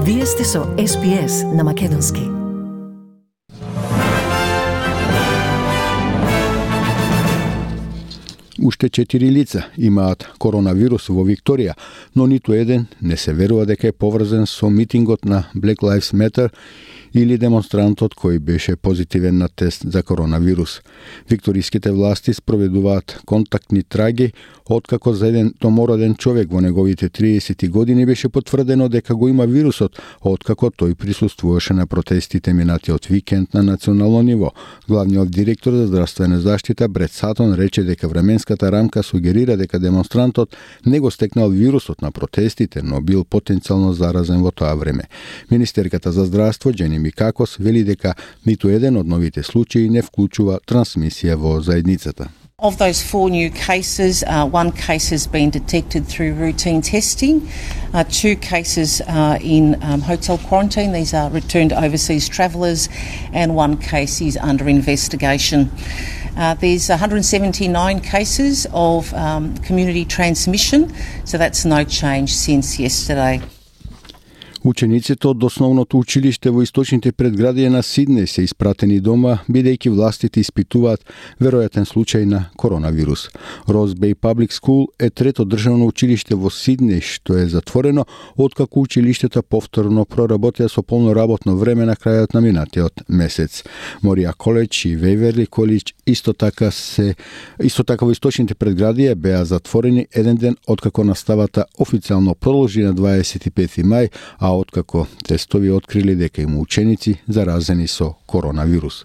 Вие сте со SPS на Македонски. Уште 4 лица имаат коронавирус во Викторија, но ниту еден не се верува дека е поврзан со митингот на Black Lives Matter или демонстрантот кој беше позитивен на тест за коронавирус. Викториските власти спроведуваат контактни траги откако за еден домороден човек во неговите 30 години беше потврдено дека го има вирусот, откако тој присуствуваше на протестите минатиот викенд на национално ниво. Главниот директор за здравствена заштита Брет Сатон рече дека временската рамка сугерира дека демонстрантот не го стекнал вирусот на протестите, но бил потенцијално заразен во тоа време. Министерката за здравство Джени Микакос вели дека ниту еден од новите случаи не вклучува трансмисија во заедницата. Of those 4 new cases, one case has been detected through routine testing, 2 cases are in hotel quarantine, these are returned overseas travellers, and 1 case is under investigation. There's 179 cases of community transmission, so that's no change since yesterday. Учениците од основното училиште во источните предградија на Сиднеј се испратени дома, бидејќи властите испитуваат веројатен случај на коронавирус. Rose Bay Public School е трето државно училиште во Сиднеј што е затворено откако училиштата повторно проработеа со полно работно време на крајот на минатиот месец. Морија Коледж и Вејверли Коледж исто така во источните предградија беа затворени еден ден откако наставата официјално продолжи на 25 мај, а откако тестови открили дека има ученици заразени со коронавирус.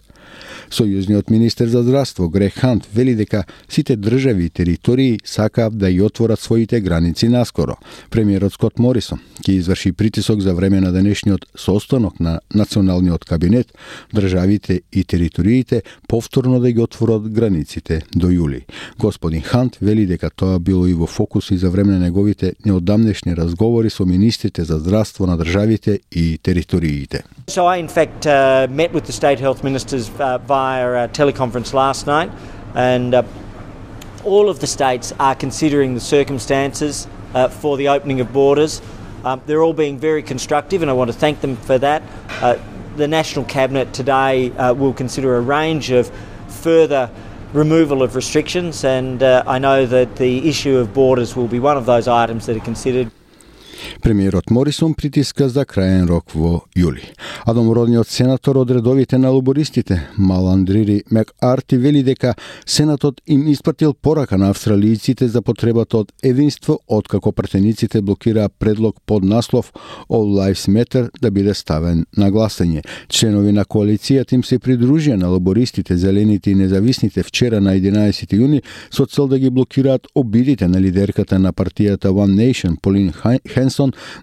Сојузниот министер за здравство Грег Хант вели дека сите држави и територии сакаат да ја отворат своите граници наскоро. Премиерот Скот Морисон ќе изврши притисок за време на денешниот состанок на националниот кабинет државите и териториите повторно да ги отворат границите до јули. Господин Хант вели дека тоа било и во фокус и за време на неговите неодамнешни разговори со министрите за здравство на државите и териториите. So I in fact met with the state health ministers via a teleconference last night, and all of the states are considering the circumstances for the opening of borders. They're all being very constructive, and I want to thank them for that. The National Cabinet today will consider a range of further removal of restrictions, and I know that the issue of borders will be one of those items that are considered. Премиерот Морисон притиска за краен рок во јули. А домородниот сенатор од редовите на лабористите, Маландрири Мекарти, вели дека Сенатот им испратил порака на австралијците за потребата од единство откако пратениците блокираа предлог под наслов All Lives Matter да биде ставен на гласање. Членови на коалицијата им се придружија на лабористите, зелените и независните вчера на 11 јуни со цел да ги блокираат обидите на лидерката на партијата One Nation, Полин Хенсон,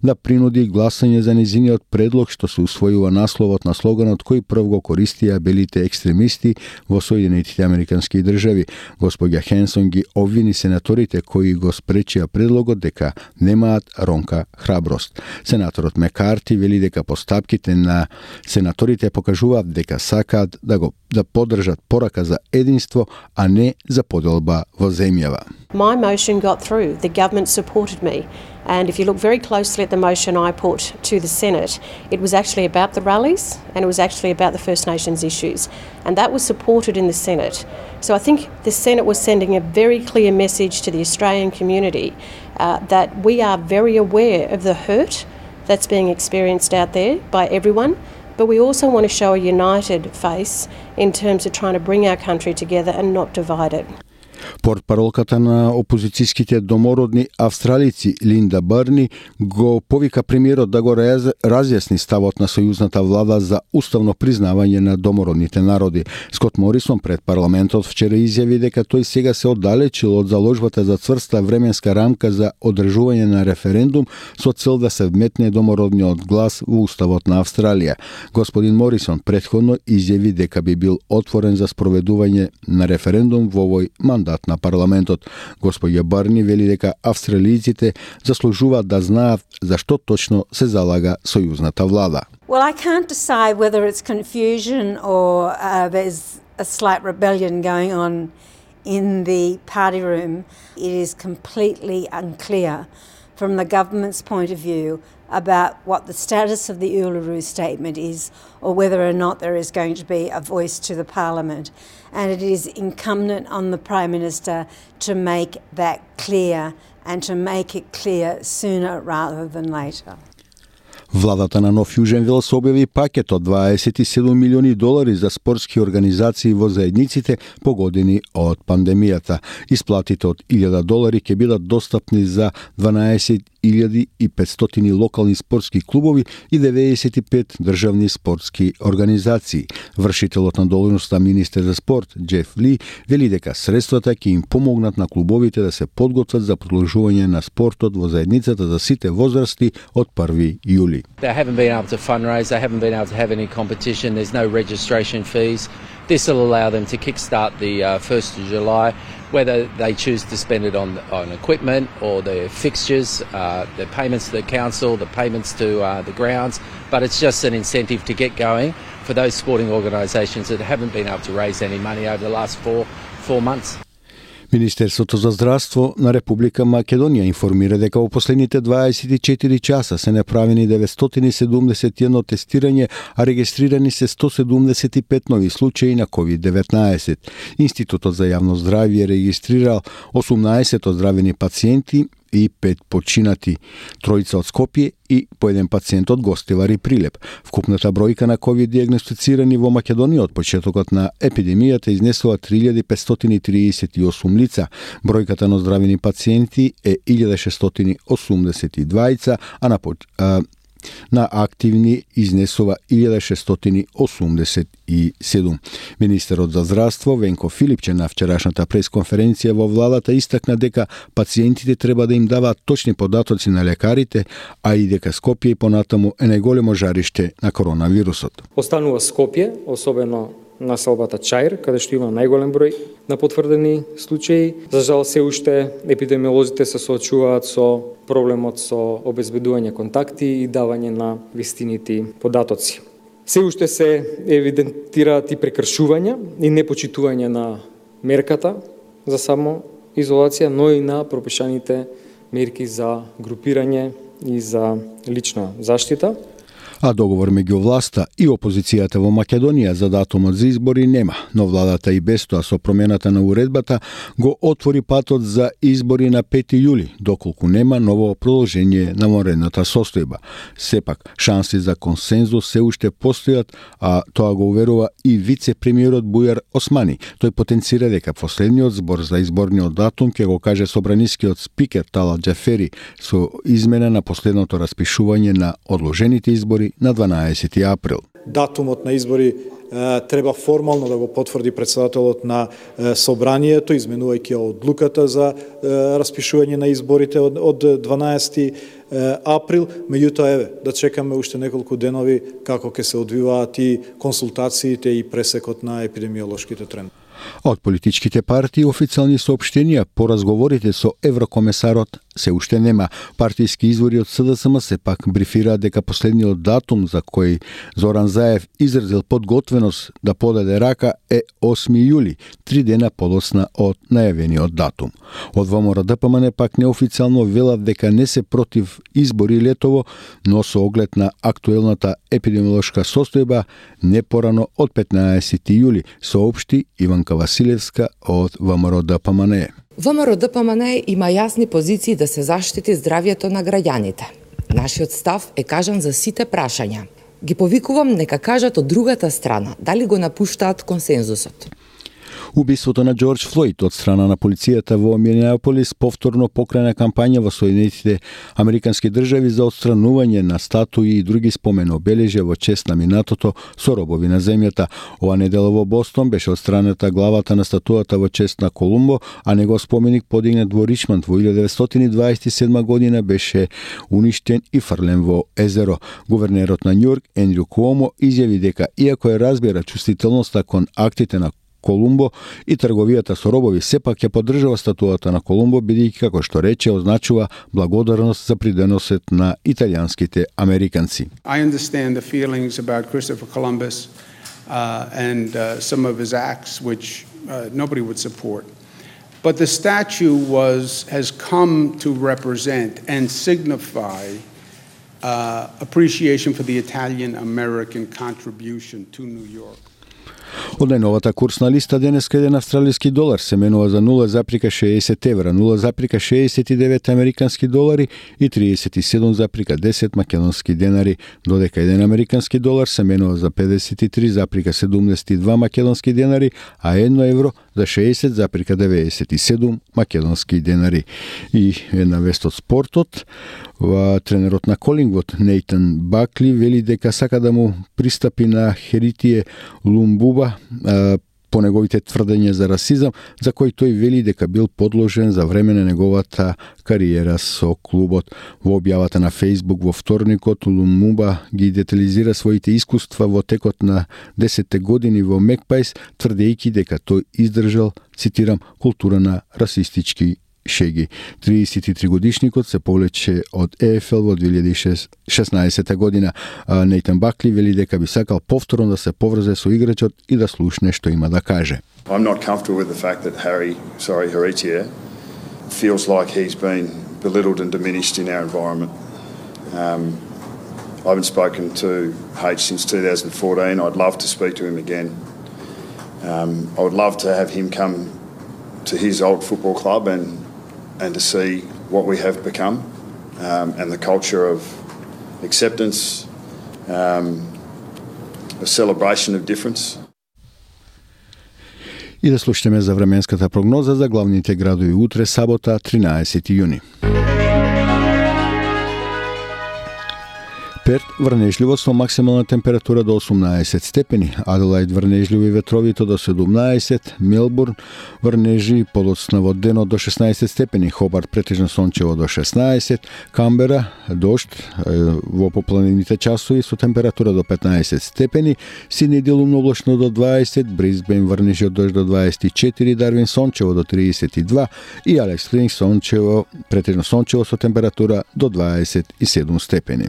да принуди гласање за незиниот предлог што се усвојува насловот на слоганот кој прв го користија белите екстремисти во Соединетите Американски држави. Господја Хенсон ги обвини сенаторите кои го спречија предлогот дека немаат ронка храброст. Сенаторот Мекарти вели дека постапките на сенаторите покажуваат дека сакаат да поддржат порака за единство, а не за поделба во земјава. My motion got through. The government supported me. And if you look very closely at the motion I put to the Senate, it was actually about the rallies and it was actually about the First Nations issues. And that was supported in the Senate. So I think the Senate was sending a very clear message to the Australian community that we are very aware of the hurt that's being experienced out there by everyone. But we also want to show a united face in terms of trying to bring our country together and not divide it. Портпаролката на опозицијските домородни австралици Линда Барни го повика премиерот да го разјасни ставот на сојузната влада за уставно признавање на домородните народи. Скот Морисон пред парламентот вчера изјави дека тој сега се оддалечил од заложбата за цврста временска рамка за одржување на референдум со цел да се вметне домородниот глас во уставот на Австралија. Господин Морисон претходно изјави дека би бил отворен за спроведување на референдум во овој мандат на парламентот. Господја Барни вели дека австралијците заслужуваат да знаат за што точно се залага сојузната влада. Well, I can't decide whether it's confusion or there's a slight rebellion going on in the party room. It is completely unclear from the government's point of view about what the status of the Uluru Statement is or whether or not there is going to be a voice to the Parliament. And it is incumbent on the Prime Minister to make that clear and to make it clear sooner rather than later. Владата на Нов Јужен Велс објави пакет од 27 милиони долари за спортски организации во заедниците погодени од пандемијата. Исплатите од $1,000 ќе бидат достапни за 12.500 локални спортски клубови и 95 државни спортски организации. Вршителот на должноста министер за спорт Джеф Ли вели дека средствата ќе им помогнат на клубовите да се подготват за продолжување на спортот во заедницата за сите возрасти од 1 јули. They haven't been able to fundraise, they haven't been able to have any competition, there's no registration fees. This will allow them to kickstart the 1st of July, whether they choose to spend it on equipment or their fixtures, the payments to the council, the payments to the grounds, but it's just an incentive to get going for those sporting organisations that haven't been able to raise any money over the last four months. Министерството за здравство на Република Македонија информира дека во последните 24 часа се направени 971 тестирање, а регистрирани се 175 нови случаи на COVID-19. Институтот за јавно здравје регистрирал 18 оздравени пациенти и 5 починати, тројца од Скопје и по еден пациент од Гостивар и Прилеп. Вкупната бројка на COVID диагностицирани во Македонија од почетокот на епидемијата изнесува 3538 лица. Бројката на оздравени пациенти е 1682, а на активни изнесува 1687. Министерот за здравство Венко Филипче на вчерашната пресконференција во владата истакна дека пациентите треба да им даваат точни податоци на лекарите, а и дека Скопје и понатаму е најголемо жариште на коронавирусот. Останува Скопје, особено на селбата Чаир, каде што има најголем број на потврдени случаи. За жал, се уште епидемиолозите се соочуваат со проблемот со обезбедување контакти и давање на вистинити податоци. Се уште се евидентираат и прекршувања и непочитување на мерката за самоизолација, но и на пропишаните мерки за групирање и за лична заштита. А договор меѓу власта и опозицијата во Македонија за датумот за избори нема, но владата и без тоа со промената на уредбата го отвори патот за избори на 5 јули, доколку нема ново продолжение на вонредната состојба. Сепак, шанси за консензус се уште постојат, а тоа го уверува и вице-премиерот Бујар Османи. Тој потенцира дека последниот збор за изборниот датум ќе го каже собранискиот спикер Талат Џафери со измена на последното распишување на одложените избори на 12 април. Датумот на избори треба формално да го потврди председателот на собранието, изменувајќи одлуката за распишување на изборите од 12 април. Меѓутоа, еве, да чекаме уште неколку денови како ќе се одвиваат и консултациите и пресекот на епидемиолошките трендови. Од политичките партии официјални соопштенија по разговорите со еврокомесарот се уште нема. Партиски извори од СДСМ сепак брифираат дека последниот датум за кој Зоран Заев изразил подготвеност да подаде рака е 8 јули, 3 дена подоцна од најавениот датум. Од ВМРО ДПМН пак неофицијално велат дека не се против избори летово, но со оглед на актуелната епидемиолошка состојба не порано од 15 јули, соопшти Иванка Василевска од ВМРО ДПМН. ВМРО ДПМН има јасни позиции да се заштити здравјето на граѓаните. Нашиот став е кажан за сите прашања. Ги повикувам нека кажат од другата страна дали го напуштаат консензусот. Убиството на Џорџ Флојд од страна на полицијата во Минеаполис повторно покрана кампања во Соединетите Американски држави за отстранување на статуи и други спомен обележја во чест на минатото со робови на земјата. Ова недела во Бостон беше отстраната главата на статуата во чест на Колумбо, а негов споменик подигнат во Ричмонд во 1927 година беше уништен и фрлен во езеро. Гувернерот на Њујорк Ендрю Куомо изјави дека иако е разбира чувствителноста кон актите на Колумбо и трговијата со робови, сепак ќе поддржува статуата на Колумбо, бидејќи, како што рече, означува благодарност за придонесот на италијанските американци. I understand the feelings about Christopher Columbus and some of his acts which nobody would support. But the statue has come to represent and signify appreciation for the Italian-American contribution to New York. Од најновата курсна листа денеска еден австралиски долар се менува за 0,60 евра, 0,69 американски долари и 37,10 македонски денари, додека еден американски долар се менува за 53,72 македонски денари, а 1 евро за 60,97 македонски денари. И една вест од спортот, тренерот на Колингвуд Нейтан Бакли вели дека сака да му пристапи на Херитие Лумбуба по неговите тврдења за расизам, за кој тој вели дека бил подложен за време на неговата кариера со клубот. Во објавата на Facebook во вторникот, Лумбуба ги детализира своите искуства во текот на 10 години во Мекпајс, тврдејќи дека тој издржал, цитирам, култура на расистички шеги. 33 годишникот се повлече од ЕФЛ во 2016 година. Нейтан Бакли вели дека би сакал повторно да се поврзе со играчот и да слушне што има да каже. I'm not comfortable with the fact that Heritia feels like he's been belittled and diminished in our environment. I haven't spoken to H since 2014. I'd love to speak to him again. I would love to have him come to his old football club and to see what we have become, and the culture of acceptance, a celebration of difference. И да слушаме за временската прогноза за главните градови утре, сабота, 13 јуни. Перт врнежливо со максимална температура до 18 степени, Аделаид врнежливи ветровито до 17, Мелбурн врнежи подоцна во денот до 16 степени, Хобарт претежно сончево до 16, Камбера дожд во попланините часови со температура до 15 степени, Сидни делумно облачно до 20, Брисбен врнежи од дожд до 24, Дарвин сончево до 32 и Алекс Спрингс сончево претежно сончево со температура до 27 степени.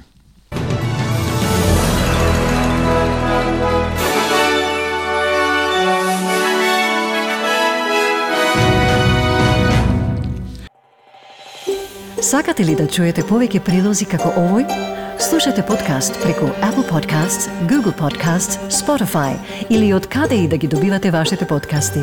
Сакате ли да чуете повеќе прилози како овој? Слушате подкаст преку Apple Podcasts, Google Podcasts, Spotify или од каде и да ги добивате вашите подкасти.